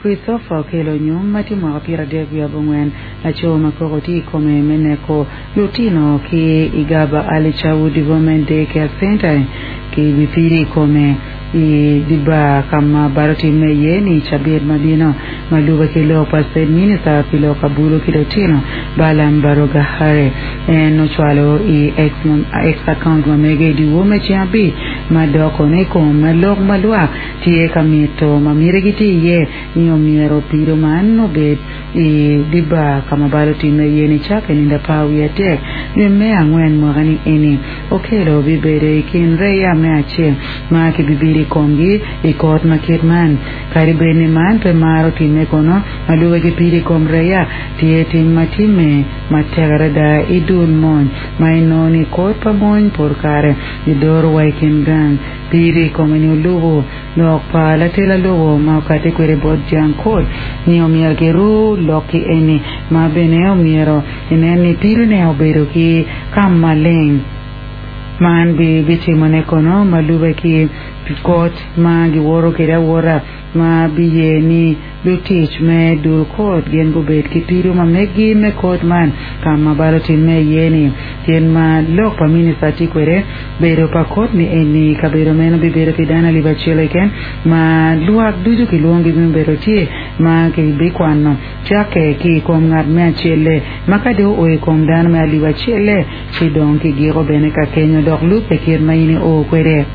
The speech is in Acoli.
Christopher Okello Onyum ma tye mwaka 34, laco ma koko tye i kome me neko lutino ki i Gaba Early Childhood Development Day Care Center kibipido i kome i dye bar ka ma bal otimme iye ni i cabit ma bino. Ma lube ki lok pa State Minister pi lok abulu ki lutino, Balaam Barugahare, en ocwalo i X account ma mege i dyewor me ceng abic ma dok kono i kom lok ma lwak tye ka mito ma mitigi tye iye ni omyero pido man obed i dye bar ka ma bal otimme iye nicakke nino 13 dwe me angwen mwaka-ni eni. Okello bibedo i kin reya me acel ma kibibido i komgi i kot ma kit man. Kadi bed ni man pe maro timme kono, ma lube ki pido i kom reya, tye tim ma timme matek adada i dul mony ma inongo ni kot pa mony pol kare gidoro wa i kin gang. Pido i kome-ni olubo lok pa latel lobo ma okati kwede bot jang kot ni omyero kiru lok-ki eni ma bene omyero inen ni pidone obedo ki ka maleng. Man bitimone kono ma lube ki kot ma giwoto kwede awota ma biye ni lutic me dul kot gin gubed ki pido ma meggi me kot man ka ma bal otimme iye-ni. Kit ma lok pa minista tye kwede, bedo pa kot ni eni kabedo meno bibedo pi dano alip acel keken ma lwak ducu kilwongi me bedo tye ma kibikwano cakke ki i kom ngat me acel-le ma ka dong oo i kom dano me alip acel-le ci dong kigiko bene ka kenyo dok lubbe kit ma in i oo kwede.